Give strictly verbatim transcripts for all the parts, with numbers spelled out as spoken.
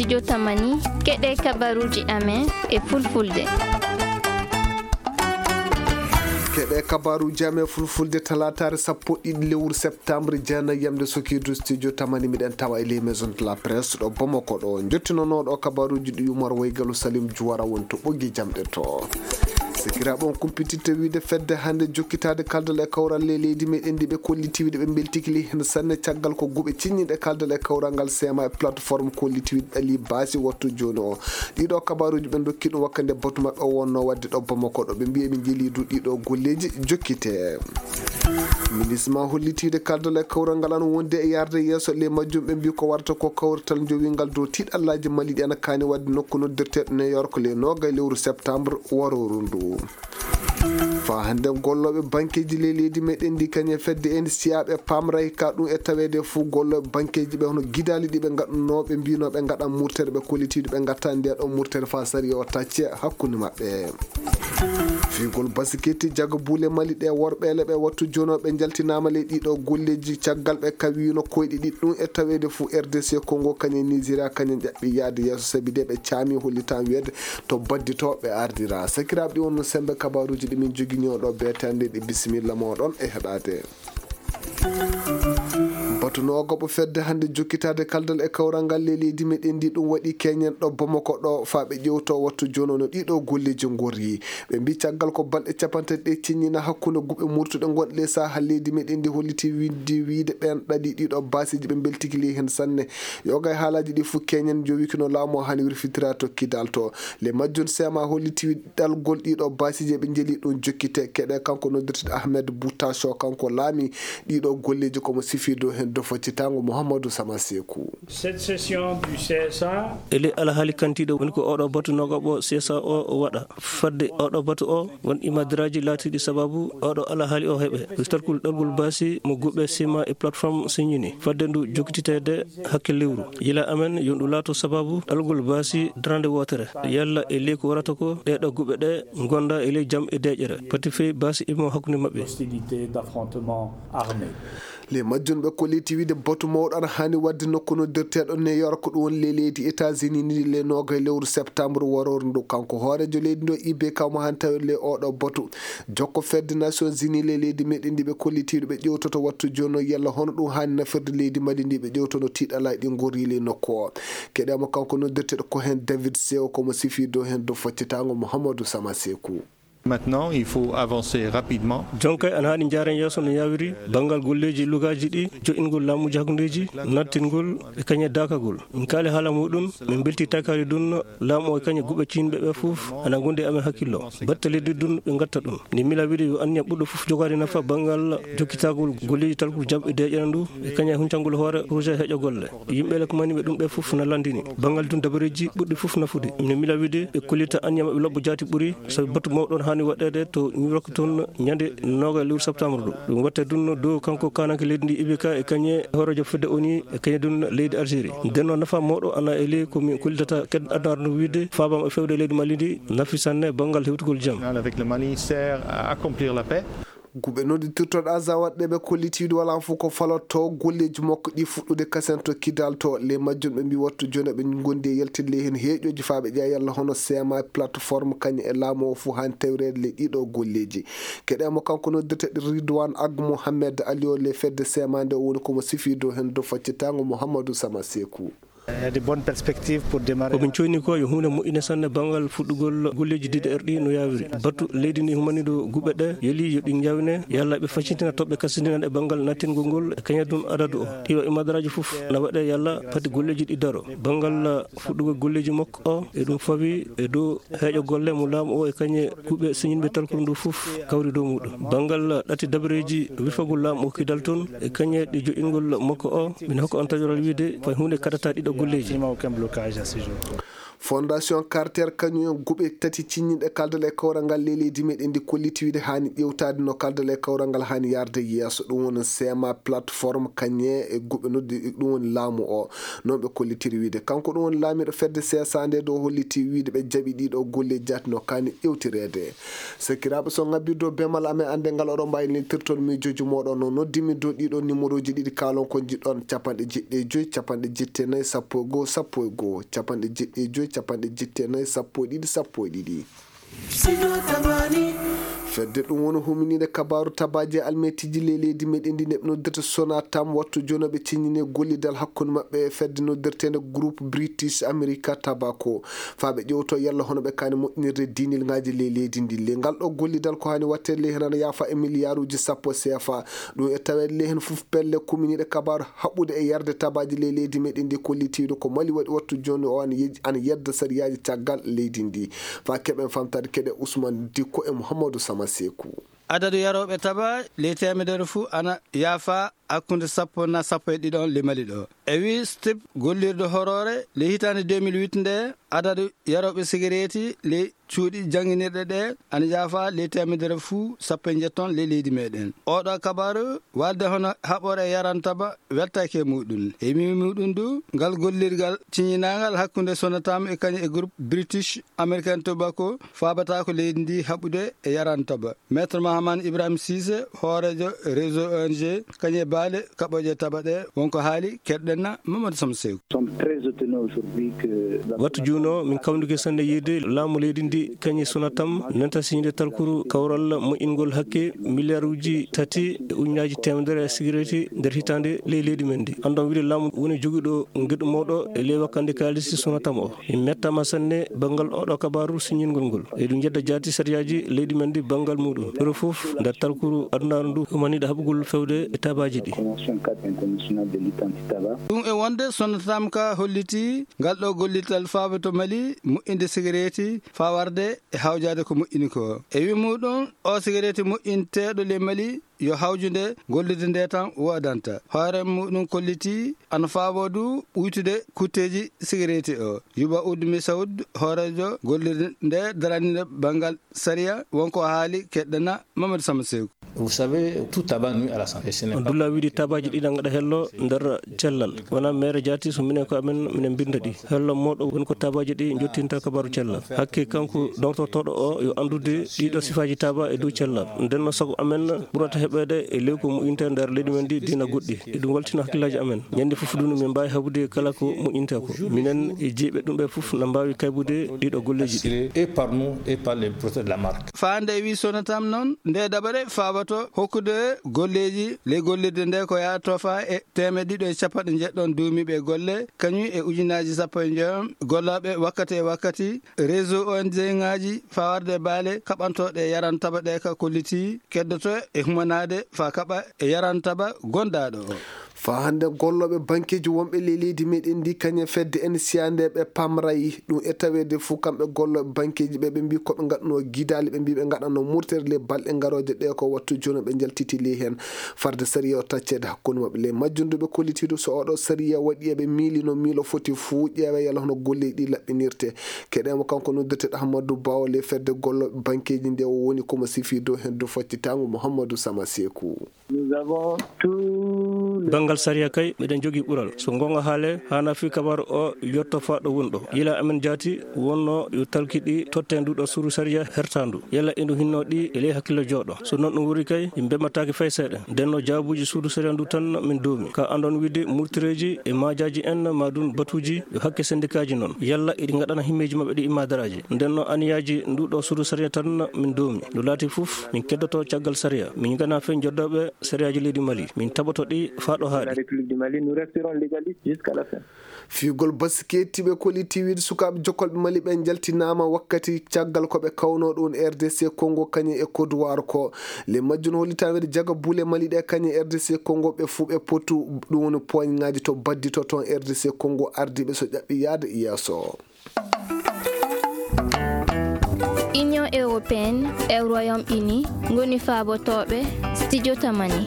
Studio Tamani, keɗe kabaruuji amen e fulfulde. Keɗe kabaruuji amen fulfulde talaataare sappo ɗiɗi lewru septembre, jeenayi yamde Sokidu, Studio Tamani, miɗen tawa e les maisons de la presse ɗo Bamako ɗo. Njottinonooɗo kabaruuji ɗi Umar Waygalu Salim Juwara woni to ɓoggi jamɗe to. Sikiraaɓe on kumpititta wiide fedde hannde jokkitaade kaldal e kawral ley leydi meɗen ndi ɓe kolliti wiide ɓe mbeltiki ley heen sanne caggal ko guɓe cinñiɗe kaldal e kawral ngal seema e plateforme kolliti wiide ɗali baasi wattu jooni o. Ɗiɗo kabaruuji ɓe ndokki ɗum wakkande batu maɓɓe o wonno wadde ɗo Bamako ɗo ɓe mbiyi ɓe njeli du ɗiɗo golleeji jokkite. Ministre ma hollitiide kaldal e kawral ngal an wonde e yarde yeeso ley majjum ɓe mbi ko warata ko kawrital jowingal dow tiiɗallaaji Mali ɗi ana kaani wadde nokku noddirteeɗo New York ley noogay lewru septembre warooru ndu. Faa hannde gollooɓe bankeeji ley leydi meɗen ndi kañe fedde en siyaaɓe paamray ka ɗum e taweede fuu gollooɓe bankeeji ɓe hono gidaali ɗi ɓe ngaɗunoo ɓe mbiinoo ɓe ngaɗan murtere ɓe kollitiiɗo ɓe ngatta nde ɗo murtere faa sariya o tacce hakkunde maɓɓe. Fiigol basiketi jaga buule Mali ɗe worɓeele ɓe wattu jonooɓe njaltinaama ley ɗiɗo golleeji caggal ɓe kawiino koyɗe ɗiɗi ɗum e taweede fuu R D C Congo kañe Nigeria kañe ƴaɓɓi yaade yeeso sabi de ɓe caami hollitaan wiyeede to badditooɓe ardira. Sakiraaɓe ɗi wonno sembe kabaruuji ɗi min jogini oɗo beetande ɗi bisimilla moɗon e heɗaade. Batu noogaɓo fedde hannde jokkitaade kaldal e kawral ngal ley leydi meɗen ndi ɗum waɗi keñen ɗo Bamako ɗo faa ɓe ƴewto wattu jooni no ɗiɗo golleeji ngorri. Ɓe mbi caggal ko balɗe capanɗe tati ɗe ciññina hakkunde guɓe murtuɗe ngonɗe ley saha leydi meɗen ndi holliti windi wiide ɓeen ɗaɗi ɗiɗo baasiiji ɓe mbeltiki ley heen sanne. Yoga e haalaaji ɗi fuu keñen jowikino laamu o hani wirfitira to kidal to. Le majjum seema holliti ɗalgol ɗiɗo baasiiji ɓe njeli ɗum jokkite keɗe kanko noddirteɗo Ahmed Bouta Sow kanko laami ɗiɗo golleeji komo sifi dow heen dow faccitango Mouhamadou Sama Sekou. Cette session du C S A. Ele alhaali kantiiɗo woni ko oɗo batu nogaɓo C S A o waɗa. Fadde oɗo batu o won imadiraaji laatiiɗi sababu oɗo alhaali o heɓe. Wistorkul ɗalgol baasi mo guɓe sima e plateforme siñini. Fadde ndu jokkititeede hakke lewru. Yila amen yo ndu laato sababu ɗalgol baasi darande wootere. Yalla e ley ko warata ko ɗeɗo guɓe ɗe ngonda e ley jam e deƴere. Pati fey baasi imo hakkunde maɓɓe. Hostilité d'affrontement armé. Le majjum ɓe kolliti wiide batu mawɗo ana haani wadde nokku noddirteeɗo New York ɗum woni le leydi États-Unis ni le noga e lewru septembre warooru ndu. Kanko hooreejo leydi ndo I B K mo haani tawede le oɗo batu. Jokko fedde Nations Unies le leydi meɗen ndi ɓe kollitiiɗo ɓe ƴewtoto wattu jooni o yalla hono ɗum haani nafirde leydi Mali ndi ɓe ƴewtono tiiɗalaaji ɗi ngorri le nokku o. Keɗe mo kanko noddirteeɗo ko heen David Sew komo sifi dow heen dow faccitango Mouhamadou Sama Sekou. Maintenant, il faut avancer rapidement. Jonkay ana haani njaaren yeeso no yaawiri banngal golleeji lugaaji ɗi, jo'ingol laamuuji hakkundeeji, nattingol e kañe daakagol. Min kaali haala muɗum, min mbelti takaali ɗum, laamu o e kañe guɓe ciinɓe ɓe fof ana ngondi e amen hakkillo. Batte leydi ɗum ɓe ngatta ɗum. Ni mila wiide yo anniya ɓurɗo fof jogaade nafa banngal jokkitagol golleeji talkugol jam e deeƴere ndu, e kañe huncangol hoore projet heƴo golle. Yimɓe le ko mani ɓe ɗum ɓe fof na landini. Banngal ɗum dabareeji ɓurɗi fof nafude. Min mila wiide ɓe kollita anniya maɓɓe lobbo jaati ɓuri, sabu batu mawɗo on haani waɗeede to New York toon ñande noga lewru septembre ɗo. Ɗum watte ɗum dow kanko kananke leydi ndi I B K e kañe hooreejo fedde O N U e kañe ɗum leydi Algérie. Nden noon nafa mawɗo ana e ley ko min kollitata ked adnaaru ndu wiide faabama e fewde leydi Mali ndi nafi sanne banngal hewtugol jam. Avec le Mali sert à accomplir la paix. Guɓe nodditirtoɗo Azawad ɗe ɓe kollitiiɗo wala fof ko falotto golleeji makko ɗi fuɗɗude kasen to Kidal to le majjum ɓe mbi wattu jooni ɓe ngondi e yaltinde heen heeƴooji faa ɓe ƴeewa yalla hono C M A plateforme kañum e laamu o fof haan tawreede le ɗiɗo golleeji. Keɗe mo kanko noddirteɗo Ridwan Ag Mohamed Ali o le fedde C M A nde o woni komo sifi dow heen dow faccitaango Mouhamadou Sama Sekou. Il y a de bonnes perspectives pour démarrer. Ko min coyni ko yo huunde moƴƴinde sanne banngal fuɗɗugol golleeji D D R ɗi no yaawiri. Batu leydi ndi humani ɗo guɓe ɗe, yeli yo ɗi njawne, yalla ɓe faccintina toɓɓe kasindinaaɗe e banngal nattingol ngol e kañum ɗum adadu o. Ɗiɗo imadaraaji fof na waɗe yalla pati golleeji ɗi daro. Banngal fuɗɗugol golleeji makko o, e ɗum fawi e dow heeƴo golle mo laamu o e kañe kuuɓe siñinɓe talkuru ndu fof kawri dow muɗum. Banngal ɗati dabareeji wirfagol laamu o Kidal toon e kañe ɗi joƴƴingol makko o, min hokka on tajoral wiide fay huunde kadata ɗiɗo golleeji. Il n'y a aucun blocage à ce jour. Fondation Carter kañum en guɓe tati cinñinɗe kaldal e kawral ngal ley leydi meɗen ndi kolliti wiide haani ƴewtaade no kaldal e kawral ngal haani yarde yeeso. Ɗum woni sema plateforme kañe e guɓe noddi ɗum woni laamu o. Noon ɓe kollitiri wiide kanko ɗum woni laamiiɗo fedde sesa nde ɗo holliti wiide ɓe jaɓi ɗiɗo golle jaati no kaani ƴewtireede. Sakiraaɓe, so ngabbirdo bemal amen annde ngal oɗon mbaawi neltirton miijooji mooɗon no noddimi dow ɗiɗo numéroji ɗiɗi kaalon ko njiɗɗon, capanɗe jeɗɗi e joyi, capanɗe jeɗɗi e nayi, sappo e goo, sappo e goo, capanɗe jeɗɗi e joyi, capanɗe jeɗɗi e nayi, sappo e ɗiɗi, sappo e ɗiɗi. Fedde ɗum woni huminiiɗe kabaaru tabaaji e almetiji ley leydi meɗen ndi neɓ noddirta Sonatam wattu jooni ɓe ciññini gollidal hakkunde maɓɓe e fedde noddirteende Groupe British America Tobacco. Faa ɓe ƴewto yalla hono ɓe kaani moƴƴinirde diinil ngaaji ley leydi ndi. Le ngal ɗo gollidal ko haani waɗteede ley heen ana yaafa e miliyaaruuji sappo C F A. Ɗum e taweede ley heen fof pelle kuminiiɗe kabaaru haɓɓude e yarde tabaaji ley leydi meɗen ndi kollitiiɗo ko Mali waɗi wattu jooni o ana yej-, ana yedda sariyaaji caggal leydi ndi. Faa keɓen famtaade keɗe Ousmane Dikko e Mouhamadou Sama Sekou. Adadu yarooɓe taba ley teemedere fuu ana yaafa hakkunde sappo na sappo e ɗiɗon le Mali ɗo. E wii Stip gollirde horoore le hitaande deux mille huit nde, adadu yarooɓe sigareeti le cuuɗi jannginirɗe ɗe ana yaafa le teemedere fuu sappo e njetton le leydi meɗen. Oɗo kabaru walde hono haɓore yarantaba weltake muɗum. E mi muɗum du, ngal gollirgal ciñinaangal hakkunde Sonatam e kañum e groupe British American Tobacco faabata ko leydi ndi haɓude e yarantaba. Maître Mahaman Ibrahim Cissé, hooreejo réseau O N G, kañum e baale kaɓooje taɓa ɗe, wonko haali, keɗɗen na Mamadou Samsew. Wattu juuno, min kawndike sanne yiide laamu leydi ndi, kañum Sonatam, nanta siñde talkuru kawral moƴƴingol hakke miliyaaruuji tati e ujunnaaji teemedere e sigareeti nder hitaande ley leydi men ndi. Anndon wiide laamu woni jogiiɗo ngeɗu mawɗo e ley wakkande kaalisi Sonatam o. Min mettaama sanne banngal oɗo kabaaru siññingol ngol. Eɗum njedda jaati sariyaaji leydi men ndi banngal muɗum. Ɗo fof nder talkuru adunaaru ndu humaniiɗo haɓugol fewde e tabaaji ɗi. Ɗum e wonde Sonatam ka holliti ngal ɗo gollital faabato Mali moƴƴinde sigareeti faa warde e hawjaade ko moƴƴini ko. E wi muɗum, o sigareeti moƴƴinteeɗo le Mali yo hawjude gollude nde tan woodanta. Hoore muɗum kolliti ana faabo du ɓuytude kutteeji sigareeti o. Yuba Udmi Saud, hooreejo gollirde nde daraniinde banngal sariya, wonko haali keɗɗana Mamadou Sama Seku. Vous savez, tout tabac nuit à la santé. Ce n'est On pas dulla wiide tabaaji ɗi na ngaɗa hello nder cellal. Wona mere jaati so minen ko amen minen mbinda ɗi. Hello mooɗo woni ko tabaaji ɗi njottinta kabaru cellal. Hakke kanko dawtortooɗo o yo anndude ɗiɗo sifaaji taba e dow cellal. Nden no sago amen ɓurata heɓeede e ley ko moƴƴinta nder leydi men ndi diina goɗɗi. Eɗum waltina hakkillaaji amen. Ñande fof dunu min mbaawi haɓude kala ko moƴƴinta ko. Minen e jeyɓe ɗum ɓe fof na mbaawi kaybude ɗiɗo golleeji ɗi. Assuré et par nous et par les promoteurs de la marque. Faande e wi Sonatam noon, nde daɓere faabato hokkude golleeji ley gollirde nde ko yaa tofa e teemeɗɗe ɗiɗo e capanɗe njeɗɗon duumiiɓe golle, kañum e ujunnaaji sappo e njoyon gollooɓe wakkati e wakkati, réseau O N G ŋaaji fawarde baale kaɓantooɗe yaran taba ɗe ka kolliti keddoto e humanaade faa kaɓa e yaran taba gondaaɗo o. Faa hannde gollooɓe bankeeji wonɓe ley leydi meɗen ndi kañum fedde N C A nde ɓe pamray ɗum e taweede fof kamɓe gollooɓe bankeeji ɓe, ɓe mbii ko ɓe ngaɗnoo gidaali, ɓe mbii ɓe ngaɗanno murtere ley balɗe ngarooje ɗe ko wattu jooni ɓe njaltiti ley heen. Farde sariya o tacceede hakkunde maɓɓe ley majjum ndu ɓe kollitiidu so oɗo sariya waɗi eɓe miilino miilo foti fof ƴeewe yalla hono golleeji ɗi laɓɓinirte. Keɗeemo kanko noddirteeɗo Ahmadou Bawo ley fedde gollooɓe bankeeji nde o woni komo sifii dow heen dow faccitaango Mouhamadou Sama Seku. Nous avons tous les Banngal sariya kay, miɗen jogii ɓural. So goonga haale, haana fii kabaru o yotto faa ɗo woni ɗo. Yila amen jaati wonno yo talki ɗi totte ndu ɗo suudu sariya hertaandu. Yalla indu hinno ɗi e ley hakkille jooɗo. So noon ɗum wuri kay, ɗi mbemmataake fay seeɗa. Nden no jaabuuji suudu sariya ndu tan min doomi. Ka andon wiide murtireeji e maajaaji en maa ɗum batuuji yo hakke sendikaaji noon. Yalla iɗi ngaɗana himmeeji maɓɓe ɗi imma daraaji. Nden no aniyaaji ndu ɗo suudu sariya tan min doomi. No laati fof, min keddoto caggal sariya. Min ngana fen joddooɓe sariyaaji leydi Mali. Min taɓoto ɗi faa ɗo haaɗi. La République du Mali, nous resterons légalistes jusqu'à la fin. Fiigol basket ɓe kolliti wiide sukaaɓe jokolɓe Mali ɓe njaltinaama wakkati caggal ko ɓe kawnoo ɗum R D C Congo kañum e Côte d'Ivoire ko. Le majjum hollita wiide jaga buule Mali ɗe kañum e R D C Congo ɓe fuu ɓe potu ɗum woni poignaaji to baddito toon R D C Congo ardiiɓe so ƴaɓɓi yaade yeeso. Union européenne e Royaume-Uni ngoni faabotooɓe Studio Tamani.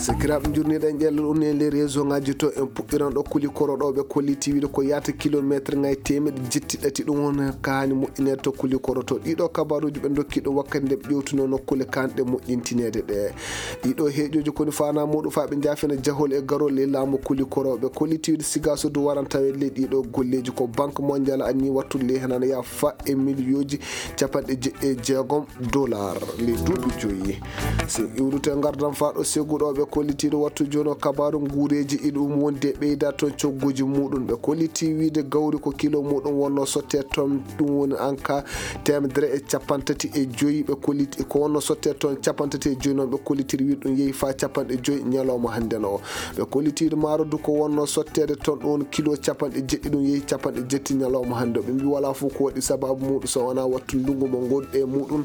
Sakiraaɓe, njurniiɗen ƴellal un e nder réseau ngaji to, en puɗɗiran ɗo kuli koro ɗo ɓe kolliti wiide ko yaata kilometre ngaji teemeɗe jetti ɗati, ɗum woni ka hani moƴƴineede to kuli koro to. Ɗiɗo kabaruuji ɓe ndokki ɗum wakkati nde ɓe ƴewtuno nokkuule kanɗe moƴƴintineede ɗe. Ɗiɗo heeƴooji koni faana muɗum faa ɓe njaafina jahol e garol e laamu kuli koro. Ɓe kolliti wiide siga so du waran taweede ley ɗiɗo golleeji ko Banque Mondiale anni wattude ley henana ya fa e miliyooji capanɗe jeɗɗi e jeegom dollar ley duuɓi joyi. Si iwrute ngardan faa ɗo segu ɗo ɓe kollitiiɗo wattu jooni o kabaaru nguureeji iɗum wondi e ɓeyda toon cogguuji muɗum. Ɓe kolliti wiide gawri ko kilo muɗum wonno sotte toon, ɗum woni anka teemedere e capanɗe tati e joyi. Ɓe kolliti ko wonno sotte toon capanɗe tati e joyi noon ɓe kollitiri wiide ɗum yehi faa capanɗe joyi ñalawma hannde no. Ɓe kollitiiɗo maaro du ko wonno sotteede toon ɗum woni kilo capanɗe jeɗɗi ɗum yehi capanɗe jetti ñalawma hannde o. Ɓe mbi walaa fof ko waɗi sababu muɗum so wonaa wattu ndungu mo ngonɗe e muɗum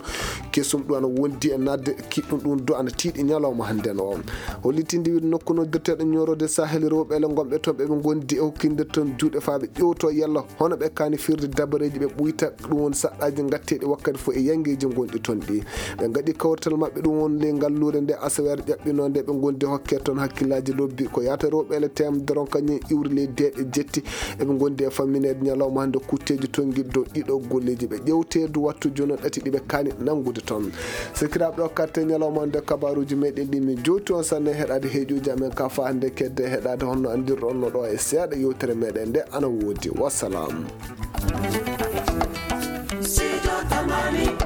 kesum ɗum ana wondi e nadde kiɗɗum ɗum du ana tiiɗi ñalawma hannde no. Hollitinde wiide nokku noddirteeɗo ñoorode Sahel rewɓe ele ngonɓe toon ɓe ɓe ngondi e hokkinde toon juuɗe faa ɓe ƴewto yalla hono ɓe kaani firde dabareeji ɓe ɓuyta ɗum woni saɗɗaaji ngatteeɗi wakkati fof e yangeeji ngonɗi toon ɗi. Ɓe ngaɗi kawrital maɓɓe ɗum woni ley ngalluure nde asaweere ƴaɓɓinoo nde ɓe ngondi hokke toon hakkillaaji lobbi ko yaata rewɓe ele teemedere on kañum iwri ley deeɗe jetti eɓe ngondi e fammineede ñalawma hannde kutteeji tonngiɗi dow ɗiɗo golleeji ɓe ƴewteedu wattu jooni ɗati ɗi ɓe kaani nanngude toon. Sikiraaɓe ɗo katte ñalawma hannde kabaruuji meɗen ɗi min jowti on sanne heɗaade heeƴuuji amen ka faa hannde kedde heɗaade honno anndirɗon no ɗo e seeɗa yewtere meɗen nde ana woodi. Wassalam. Sijo Tamani.